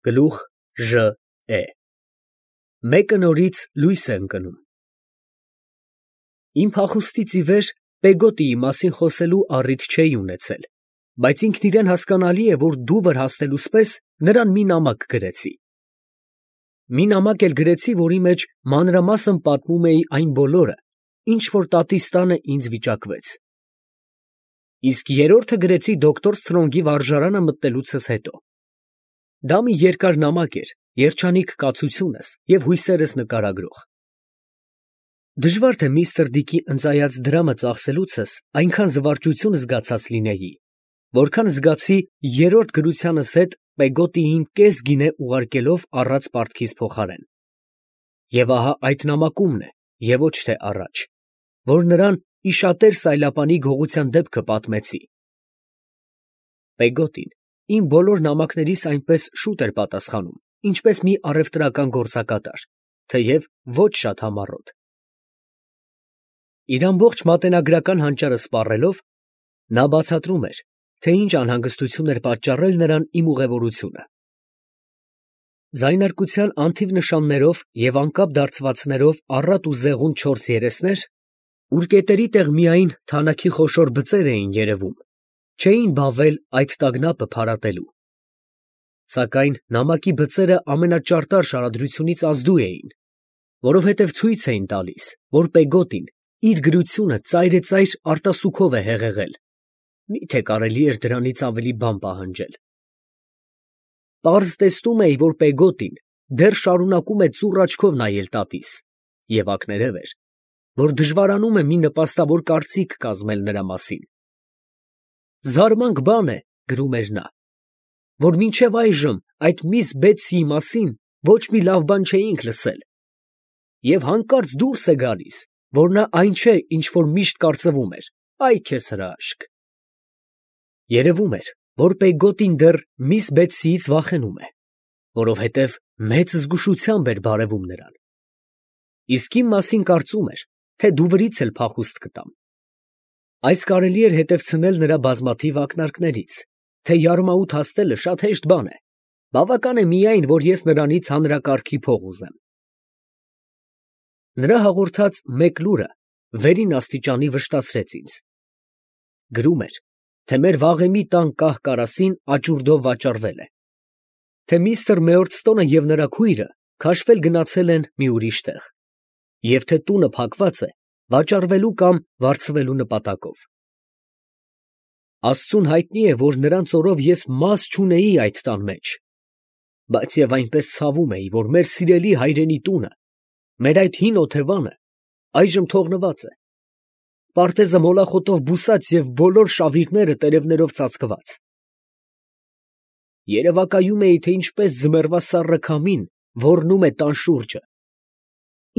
Գլուխ Ժ է Մեկը նորից լույս է ընկնում։ Իմ փախուստից ի վեր Պեգոտիի մասին խոսելու առիթ չէի ունեցել, բայց ինքն իրեն հասկանալի է, որ դուվր հասնելուս պես նրան մի նամակ գրեցի։ Մի նամակ էլ գրեցի, որի մեջ մանրամասն պատմում էի այն բոլորը, ինչ որ տատիս տանը ինձ վիճակվեց։ Իսկ երրորդը գրեցի դոկտոր Սթրոնգի վարժարանը մտնելուցս հետո։ Դա մի երկար նամակ էր, երջանիկ կացությունս և հույսերս նկարագրող։ Դժվար թե միստր Դիկի ընծայած դրամը ծախսելուցս այնքան զվարճություն զգացած լինեի, որքան զգացի երրորդ գրությանս հետ Պեգոտիին կես գինե ուղարկելով առած պարտքիս փոխարեն։ Եվ ահա այդ նամակումն է, և ոչ թե առաջ, որ նրան իշատեր սայլապանի գողության դեպքը պատմեցի։ Պեգոտին իմ բոլոր նամակներիս այնպես շուտ էր պատասխանում, ինչպես մի առևտրական գործակատար, թեև ոչ շատ համառոտ։ Իր ամբողջ մատենագրական հանճարը սպառելով, նա բացատրում էր, թե ինչ անհանգստություն էր պատճառել նրան իմ ուղևորությունը։ Ձայնարկության անթիվ նշաններով և անկապ դարձվածներով առատ ու զեղուն 4 երեսներ, ուր կետերի տեղ միայն թանաքի խոշոր բծեր էին երևում, չէին բավել այդ տագնապը փարատելու։ Սակայն նամակի բծերը ամենաճարտար շարադրությունից ազդու էին, որովհետև ցույց էին տալիս, որ Պեգոտին իր գրությունը ծայրեծայր արտասուքով է հեղեղել, միթե կարելի էր դրանից ավելի բան պահանջել։ Պարզ տեսնում էի, որ Պեգոտին դեռ շարունակում է ծուռ աչքով նայել տատիս և ակներև էր, որ դժվարանում է մի նպաստավոր կարծիք կազմել նրա մասին։ «Զարմանք բան է, ֊ գրում էր նա, ֊ որ մինչև այժմ այդ միս Բեթսիի մասին ոչ մի լավ բան չէինք լսել, և հանկարծ դուրս է գալիս, որ նա այն չէ, ինչ որ միշտ կարծվում էր, այ քեզ հրաշք»։ Երևում էր, որ Պեգոտին դեռ միս Բեթսիից վախենում է, որովհետև մեծ զգուշությամբ էր բարևում նրան։ Իսկ իմ մասին կարծում էր, թե դուվրից էլ փախուստ կտամ։ Այս կարելի էր հետևցնել նրա բազմաթիվ ակնարկներից, թե յարմաուտ հասնելը շատ հեշտ բան է, բավական է միայն, որ ես նրանից հանրակարգի փող ուզեմ։ Նրա հաղորդած մեկ լուրը վերին աստիճանի վշտացրեց ինձ։ Գրում էր, թե մեր վաղեմի տան կահ֊կարասին աճուրդով վաճառվել է, թե միստր Մեորդստոնը և նրա քույրը քաշվել գնացել են մի ուրիշ տեղ, և թե տունը փակված է վաճառվելու կամ վարձվելու նպատակով։ Աստծուն հայտնի է, որ նրանց օրով ես մաս չունեի այդ տան մեջ, բայց և այնպես ցավում էի, որ մեր սիրելի հայրենի տունը, մեր այդ հին օթևանը այժմ թողնված է, պարտեզը մոլախոտով բուսած և բոլոր շավիղները տերևներով ծածկված։ Երևակայում էի, թե ինչպես ձմեռվա սառը քամին ոռնում է տան շուրջը,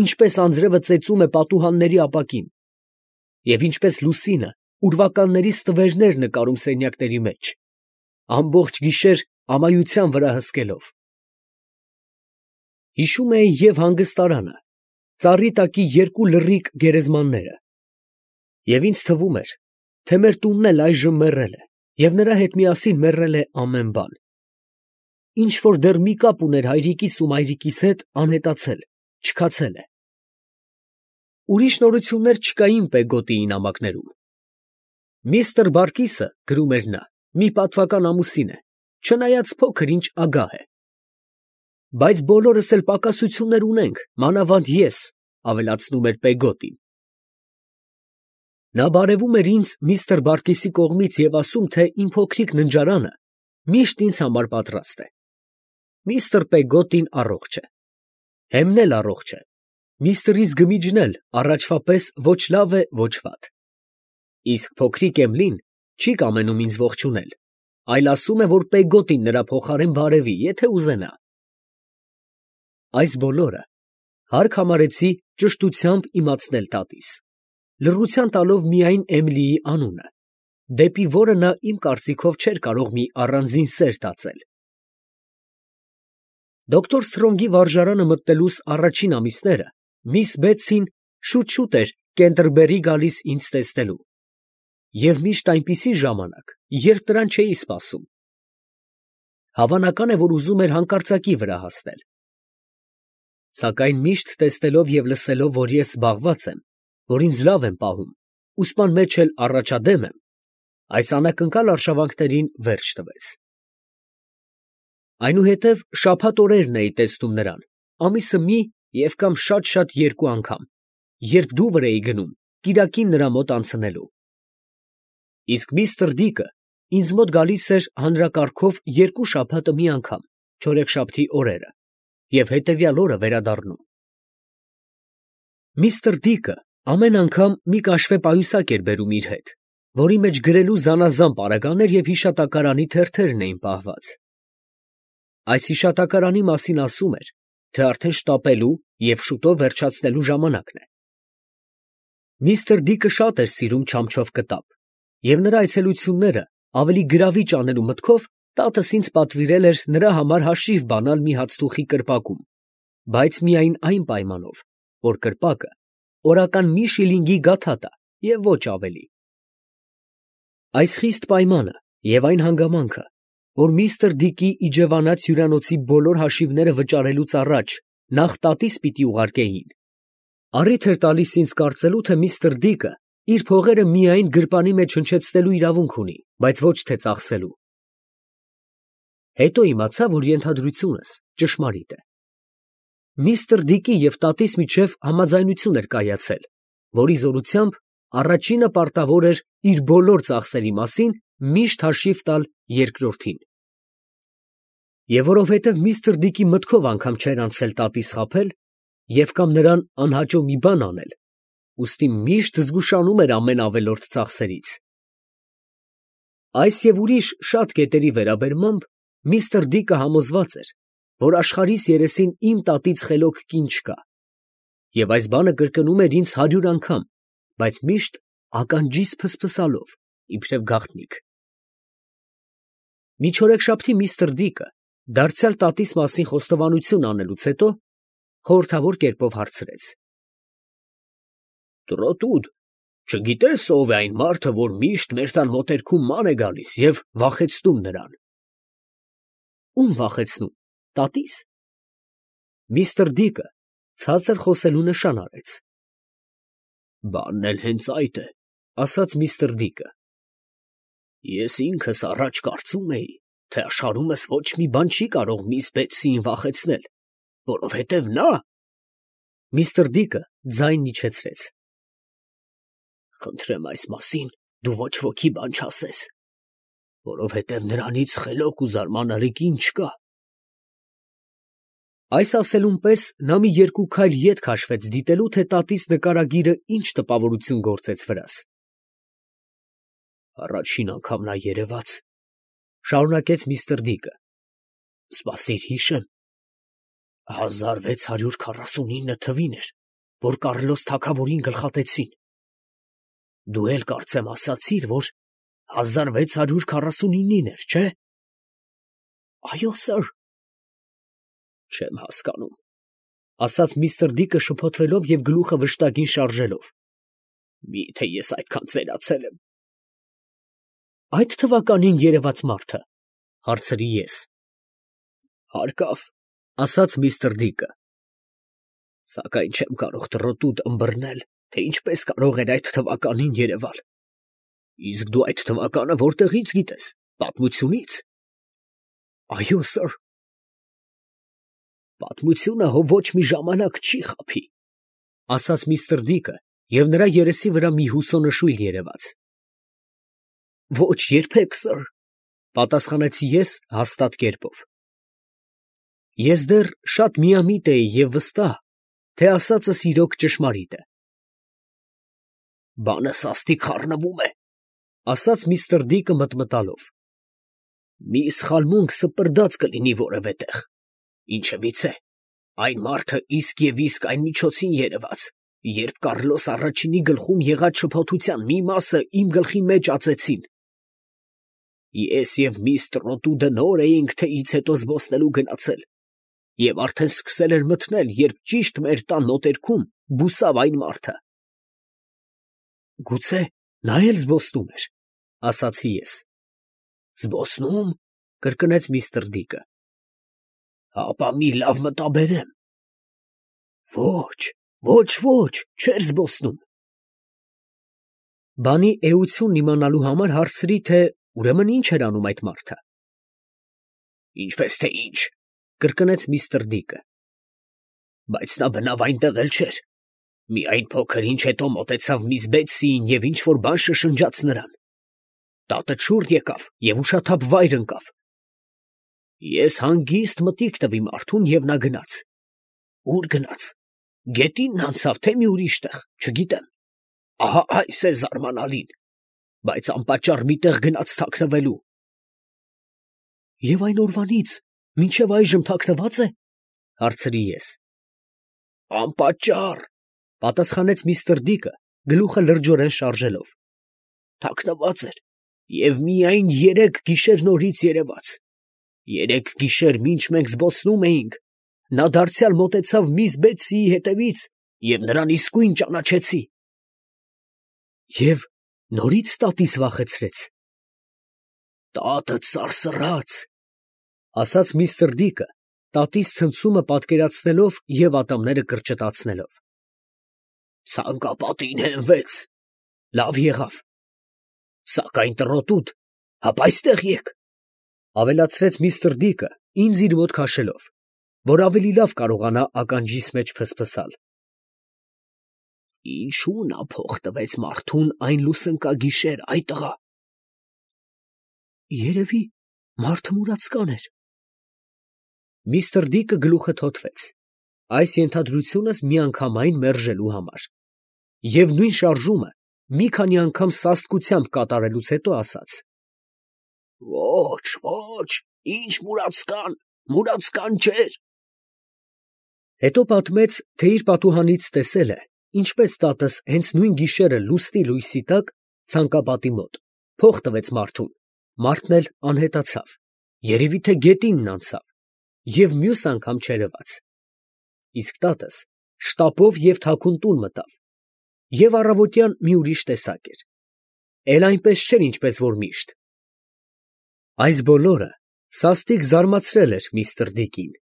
ինչպես անձրևը ծեծում է պատուհանների ապակին, և ինչպես լուսինը ուրվականների ստվերներ նկարում սենյակների մեջ, ամբողջ գիշեր ամայության վրա հսկելով։ Հիշում էի և հանգստարանը, ծառի տակի երկու լռիկ գերեզմանները, և ինձ թվում էր, թե մեր տունն էլ այժմ մեռել է, և նրա հետ միասին մեռել է ամեն բան։ Ինչ որ դեռ մի կապ ուներ հայրիկիս ու մայրիկիս հետ, անհետացել, չքացել է։ Ուրիշ նորություններ չկային Պեգոտիի նամակներում։ Միստր Բարկիսը, գրում էր նա, մի պատվական ամուսին է, չնայած փոքր ինչ ագահ է։ Բայց բոլորս էլ պակասություններ ունենք, մանավանդ ես, ավելացնում էր Պեգոտին։ Նա բարևում էր ինձ միստր Բարկիսի կողմից և ասում, թե իմ փոքրիկ ննջարանը միշտ ինձ համար պատրաստ է։ Միստր Պեգոտին առողջ է։ Հեմն էլ առողջ է։ Միստր Գմիջն էլ առաջվա պես ոչ լավ է, ոչ վատ։ Իսկ փոքրիկ Էմլին չի կամենում ինձ ողջունել, այլ ասում է, որ Պեգոտին նրա փոխարեն բարևի, եթե ուզենա։ Այս բոլորը հարկ համարեցի ճշտությամբ իմացնել տատիս, լռության տալով միայն Էմլիի անունը, դեպի որը նա իմ կարծիքով չէր կարող մի առանձին սեր տածել։ Դոկտոր Սթրոնգի վարժարանը մտնելուս առաջին ամիսները միս Բեթսին շուտ էր Կենտերբերի գալիս ինձ տեսնելու, և միշտ այնպիսի ժամանակ, երբ նրան չէի սպասում։ Հավանական է, որ ուզում էր հանկարծակի վրա հասնել։ Սակայն միշտ տեսնելով և լսելով, որ ես զբաղված եմ, որ ինձ լավ են պահում, ու սպան մեջ էլ առաջադեմ եմ, այս անակնկալ արշավանքներին վերջ տվեց։ Այնուհետև շաբաթ օրերն էի տեսնում նրան, ամիսը մի և կամ շատ երկու անգամ, երբ դուվր էի գնում, կիրակին նրա մոտ անցնելու։ Իսկ միստր Դիկը ինձ մոտ գալիս էր հանրակարգով երկու շաբաթը մի անգամ, չորեքշաբթի օրերը, և հետևյալ օրը վերադառնում։ Միստր Դիկը ամեն անգամ մի կաշվե պայուսակ էր բերում իր հետ, որի մեջ գրելու զանազան պարագաներ և հիշատակարանի թերթերն էին պահված։ Այս հիշատակարանի մասին ասում էր, թե արդեն շտապելու և շուտով վերջացնելու ժամանակն է։ Միստր Դիկը շատ էր սիրում չամչով կտավ, և նրա այցելությունները ավելի գրավիչ անելու մտքով տատս ինձ պատվիրել էր նրա համար հաշիվ բանալ մի հացթուխի կրպակում, բայց միայն այն պայմանով, որ կրպակը օրական մի շիլինգի գաթա տա և ոչ ավելի։ Այս խիստ պայմանը և այն հանգամանքը, որ միստր Դիկի իջևանած հյուրանոցի բոլոր հաշիվները վճարելուց առաջ նախ տատիս պիտի ուղարկեին, առիթ էր տալիս ինձ կարծելու, թե միստր Դիկը իր փողերը միայն գրպանի մեջ հնչեցնելու իրավունք ունի, բայց ոչ թե ծախսելու։ Հետո իմացա, որ ենթադրությունս ճշմարիտ է։ Միստր Դիկի և տատիս միջև համաձայնություն էր կայացել, որի զորությամբ առաջինը պարտավոր էր իր բոլոր ծախսերի մասին միշտ հաշիվ տալ երկրորդին։ Եվ որովհետև միստր Դիկի մտքով անգամ չէր անցել տատիս խաբել և կամ նրան անհաճո մի բան անել, ուստի միշտ զգուշանում էր ամեն ավելորդ ծախսերից։ Այս և ուրիշ շատ կետերի վերաբերմամբ միստր Դիկը համոզված էր, որ աշխարհիս երեսին իմ տատից խելոք կին չկա, և այս բանը կրկնում էր ինձ 100 անգամ, բայց միշտ ականջիս փսփսալով, իբրև գաղտնիք։ Մի չորեքշաբթի միստր Դիկը, դարձյալ տատիս մասին խոստովանություն անելուց հետո, խորհրդավոր կերպով հարցրեց. «Տրոտուդ, չգիտե՞ս ով է այն մարդը, որ միշտ մեր տան մոտերքում ման է գալիս և վախեցնում նրան»։ Ո՞ւմ վախեցնում, տատի՞ս։ Միստր Դիկը ցածր խոսելու նշան արեց։ «Բանն էլ հենց այդ է, ֊ ասաց միստր Դիկը. ֊ ես ինքս առաջ կարծում էի, թե աշխարհումս ոչ մի բան չի կարող միս Բեթսիին վախեցնել, որովհետև նա…» Միստր Դիկը ձայնն իջեցրեց. «Խնդրեմ այս մասին դու ոչ ոքի բան չասես, որովհետև նրանից խելոք ու զարմանալի կին չկա»։ Այս ասելուն պես նա մի երկու քայլ ետ քաշվեց դիտելու, թե տատիս նկարագիրը ինչ տպավորություն գործեց վրաս։ «Առաջին անգամ նա երևաց, ֊ շարունակեց միստր Դիկը, ֊ սպասիր հիշեմ, 1649 թվին էր, որ Կառլոս թագավորին գլխատեցին. դու էլ կարծեմ ասացիր, որ 1649-ին էր, չէ՞։ Այո, սըր։ Չեմ հասկանում, ֊ ասաց միստր Դիկը շփոթվելով և գլուխը վշտակին շարժելով. միթե ես այդքան ծերացել եմ։ Այդ թվականին երևաց մարդը, ֊ հարցրի ես։ Հարկավ, ֊ ասաց միստր Դիկը, սակայն չեմ կարող տրոտուդ ըմբռնել, թե ինչպես կարող էր այդ թվականին երևալ։ Իսկ դու այդ թվականը որտեղի՞ց գիտես, պատմությունի՞ց։ Այո, սըր։ Պատմությունը հո ոչ մի ժամանակ չի խաբի, ֊ ասաց միստր Դիկը, և նրա երեսի վրա մի հուսոնշույլ երևաց։ Ոչ երբեք, սըր, ֊ պատասխանեցի ես հաստատ կերպով։ Ես դեռ շատ միամիտ էի և վստահ, թե ասածս իրոք ճշմարիտ է։ Բանը սաստիկ խառնվում է, ֊ ասաց միստր Դիկը մտմտալով։ Մի սխալմունք սպրդած կլինի որևէ տեղ, ինչևիցե, այն մարդը իսկ և իսկ այն միջոցին երևաց, երբ Կառլոս առաջինի գլխում եղած շփոթության մի մասը իմ գլխի մեջ ածեցին։ Ես և միս Տրոտուդը նոր էինք թեյից հետո զբոսնելու գնացել, և արդեն սկսել էր մթնել, երբ ճիշտ մեր տան մոտերքում բուսավ այն մարդը։ Գուցե նա էլ զբոսնում էր, ֊ ասացի ես։ Զբոսնո՞ւմ, կրկնեց միստր Դիկը։ Հապա մի լավ մտաբերեմ։ Ոչ, չէր զբոսնում։ Բանի էությունն իմանալու համար հարցրի, թե ուրեմն ինչ էր անում այդ մարդը։ Ինչպես թե ինչ, կրկնեց միստր Դիկը։ Բայց նա բնավ այնտեղ էլ չէր։ Միայն փոքր ինչ հետո մոտեցավ միս Բեթսիին և ինչ-որ բան շշնջաց նրան։ Տատը շուռ եկավ և ուշաթափ վայր ընկավ։ Ես հանգիստ մտիկ տվի մարդուն, և նա գնաց։ Ուր գնաց։ Գետինն անցավ, թե մի ուրիշ տեղ, չգիտեմ։ Ահա այս է զարմանալին, բայց անպատճառ մի տեղ գնաց թաքնվելու։ Եվ այն օրվանից մինչև այժմ թաքնված է, հարցրի ես։ Անպատճառ, պատասխանեց միստր Դիկը, գլուխը լրջորեն շարժելով։ Թաքնված էր և միայն 3 գիշեր նորից երևաց։ 3 գիշեր մինչ մենք զբոսնում էինք, նա դարձյալ մոտեցավ միս Բեթսիի հետևից և նրան իսկույն ճանաչեցի։ Եվ նորից տատիս վախեցրեց։ Տատը սարսռաց, ասաց միստր Դիկը, տատիս ցնցումը պատկերացնելով և ատամները կրճտացնելով։ Ցանկապատին հենվեց։ Լավ եղավ։ Սակայն տրոտուտ, հապա այստեղ եկ, ավելացրեց միստր Դիկը, ինձ իր մոտ քաշելով, որ ավելի լավ կարողանա ականջիս մեջ փսփսալ։ Ինչու նա փող տվեց մարդուն այն լուսնկագիշեր, այ տղա։ Երևի մարդը մուրացկան էր։ Միստր Դիկը գլուխը թոթվեց, այս ենթադրությունս միանգամայն մերժելու համար, և նույն շարժումը մի քանի անգամ սաստկությամբ կատարելուց հետո ասաց. Ոչ, ինչ մուրացկան չէր։ Հետո պատմեց, թե իր պատուհանից տեսել է, ինչպես տատս հենց նույն գիշերը լուսնի լույսի տակ ցանկապատի մոտ փող տվեց մարդուն, մարդն էլ անհետացավ, երևի թե գետինն անցավ, և մյուս անգամ չերևաց։ Իսկ տատս շտապով և թաքուն տուն մտավ, և առավոտյան մի ուրիշ տեսակ էր, էլ այնպես չէր, ինչպես որ միշտ։ Այս բոլորը սաստիկ զարմացրել էր միստր Դիկին։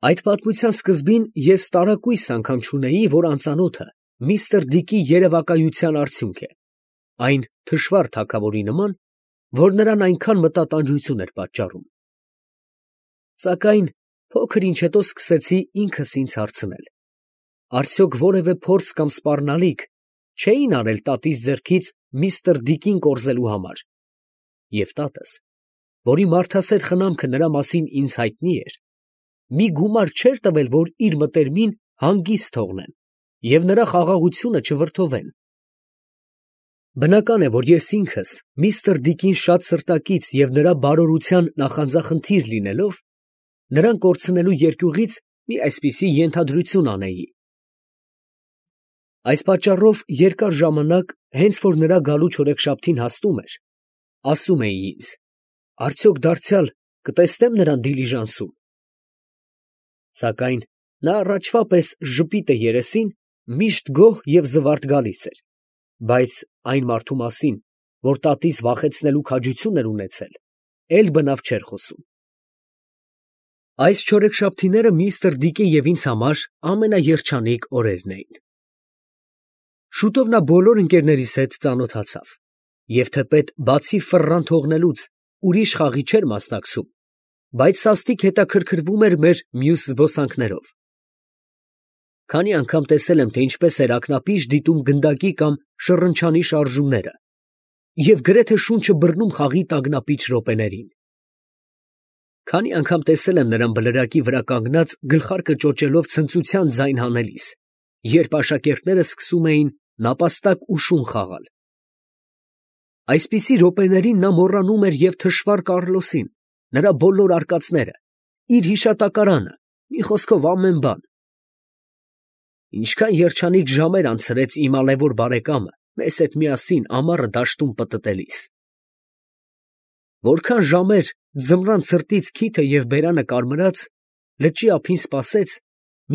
Այդ պատմության սկզբին ես տարակույս անգամ չունեի, որ անծանոթը միստր Դիկի երևակայության արդյունք է, այն թշվառ թագավորի նման, որ նրան այնքան մտատանջություն էր պատճառում։ Սակայն փոքր ինչ հետո սկսեցի ինքս ինձ հարցնել. արդյոք որևէ փորձ կամ սպառնալիք չէին արել տատիս ձեռքից միստր Դիկին կորզելու համար, և տատս, որի մարդասեր խնամքը նրա մասին ինձ հայտնի էր, մի գումար չէր տվել, որ իր մտերմին հանգիստ թողնեն և նրա խաղաղությունը չվրդովեն։ Բնական է, որ ես ինքս միստր Դիկին շատ սրտակից և նրա բարօրության նախանձախնդիր լինելով, նրան կորցնելու երկյուղից մի այսպիսի ենթադրություն անեի։ Այս պատճառով երկար ժամանակ, հենց որ նրա գալու չորեքշաբթին հասնում էր, ասում էի ինձ. արդյոք դարձյալ կտեսնեմ նրան դիլիժանսում։ Սակայն նա առաջվա պես ժպիտը երեսին միշտ գոհ և զվարթ գալիս էր, բայց այն մարդու մասին, որ տատիս վախեցնելու քաջություն էր ունեցել, էլ բնավ չէր խոսում։ Այս չորեքշաբթիները միստր Դիկի և ինձ համար ամենաերջանիկ օրերն էին։ Շուտով նա բոլոր ընկերներիս հետ ծանոթացավ, և թեպետ բացի ֆռռան թողնելուց ուրիշ խաղի չէր մասնակցում, բայց սաստիկ հետաքրքրվում էր մեր մյուս զբոսանքներով։ Քանի անգամ տեսել եմ, թե ինչպես էր ակնապիշ դիտում գնդակի կամ շռնչանի շարժումները և գրեթե շունչը բռնում խաղի տագնապիչ րոպեներին։ Քանի անգամ տեսել եմ նրան բլրակի վրա կանգնած գլխարկը ճոճելով ցնծության ձայն հանելիս, երբ աշակերտները սկսում էին նապաստակ ու շուն խաղալ։ Այսպիսի րոպեներին նա մոռանում էր և թշվառ Կառլոսին, նրա բոլոր արկածները, իր հիշատակարանը, մի խոսքով ամեն բան։ Ինչքան երջանիկ ժամեր անցրեց իմ ալեւոր բարեկամը մեզ հետ միասին ամառը դաշտում պտտելիս։ Որքան ժամեր ձմռան ցրտից քիթը և բերանը կարմրած, լճի ափին սպասեց,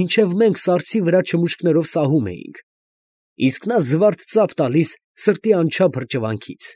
մինչև մենք սառցի վրա չմուշկներով սահում էինք, իսկ նա զվարթ ծափ տալիս սրտի անչափ հրճվանքից։